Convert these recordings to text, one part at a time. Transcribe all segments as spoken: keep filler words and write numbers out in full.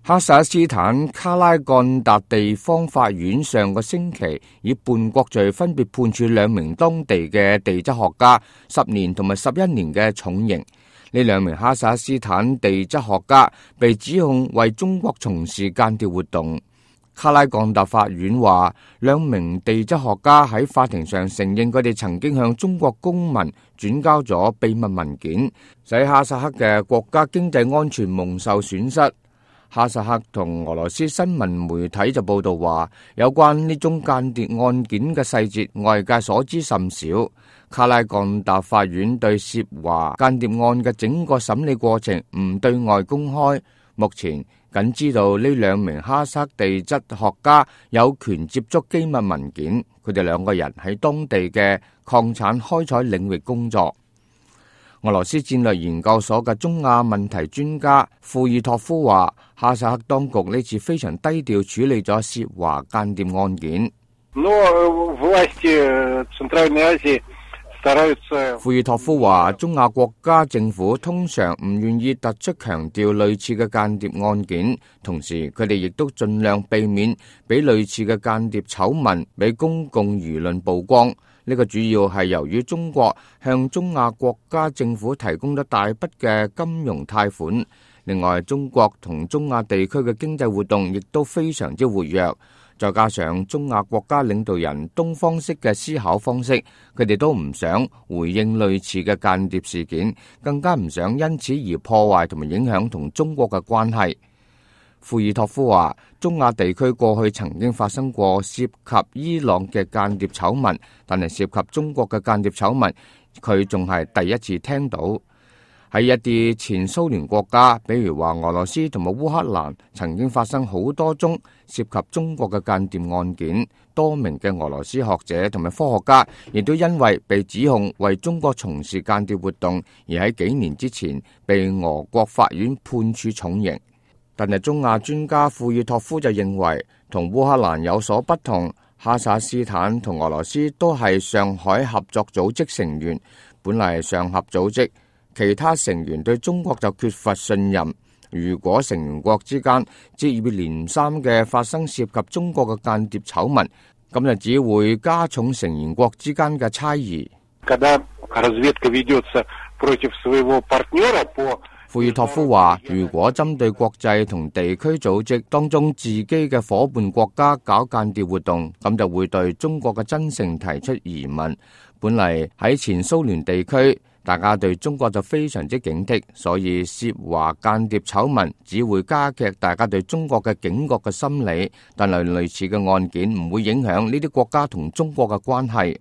哈薩克斯坦卡拉幹達地方法院上個星期以叛國罪分別判處兩名當地嘅地質學家十年同埋十一年嘅重刑。呢兩名哈薩克斯坦地質學家被指控為中國從事間諜活動。卡拉幹達法院話，兩名地質學家喺法庭上承認佢哋曾經向中國公民轉交咗秘密文件，使哈薩克嘅國家經濟安全蒙受損失。哈薩克同俄羅斯新聞媒體就報道話，有關呢宗間諜案件嘅細節，外界所知甚少。卡拉幹達法院對涉華間諜案嘅整個審理過程唔對外公開，目前僅知道呢兩名哈薩克地質學家有權接觸機密文件，佢哋兩個人喺當地嘅礦產開採領域工作。俄羅斯戰略研究所嘅中亞問題專家庫爾托夫話，哈薩克當局呢次非常低調處理咗涉華間諜案件。庫爾托夫話，中亞國家政府通常唔願意突出強調類似嘅間諜案件，同時佢哋亦都盡量避免俾類似嘅間諜醜聞俾公共輿論曝光。呢個主要係由於中國向中亞國家政府提供咗大筆嘅金融貸款，另外中國同中亞地區嘅經濟活動亦都非常之活躍，再加上中亞國家領導人東方式嘅思考方式，佢哋都唔想回應類似嘅間諜事件，更加唔想因此而破壞同埋影響同中國嘅關係。庫爾托夫話，中亞地區過去曾經發生過涉及伊朗嘅間諜醜聞，但係涉及中國嘅間諜醜聞，佢仲係第一次聽到。喺一啲前蘇聯國家，比如話俄羅斯同埋烏克蘭，曾經發生好多宗涉及中國嘅間諜案件，多名嘅俄羅斯學者同埋科學家亦都因為被指控為中國從事間諜活動，而喺幾年之前被俄國法院判處重刑。但係中亞專家庫爾托夫就認為，同烏克蘭有所不同，哈薩克斯坦同俄羅斯都係上海合作組織成員，本嚟係上合組織，其他成員對中國就缺乏信任。如果成員國之間接二連三嘅發生涉及中國嘅間諜醜聞，咁就只會加重成員國之間嘅猜疑。庫爾托夫話，如果針對國際同地區組織當中自己嘅夥伴國家搞間諜活動，咁就會對中國嘅真誠提出疑問。本嚟喺前蘇聯地區，大家對中國就非常之警惕，所以涉華間諜醜聞只會加劇大家對中國嘅警覺嘅心理，但係類似嘅案件唔會影響呢啲國家同中國嘅關係。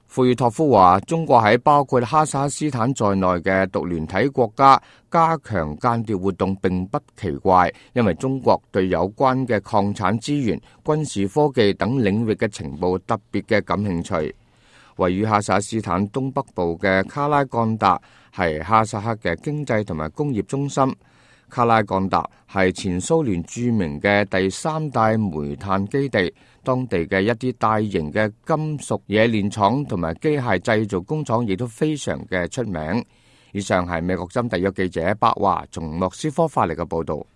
庫爾托夫話，中國喺包括哈薩克斯坦在內嘅獨聯體國家加強間諜活動並不奇怪，因為中國對有關嘅礦產資源、軍事科技等領域嘅情報特別嘅感興趣。位於哈薩克斯坦東北部嘅卡拉幹達係哈薩克嘅經濟同埋工業中心。卡拉幹達係前蘇聯著名嘅第三大煤炭基地，當地嘅一啲大型嘅金屬冶煉廠同埋機械製造工廠亦都非常嘅出名。以上係美國針特約記者白華從莫斯科發嚟嘅報道。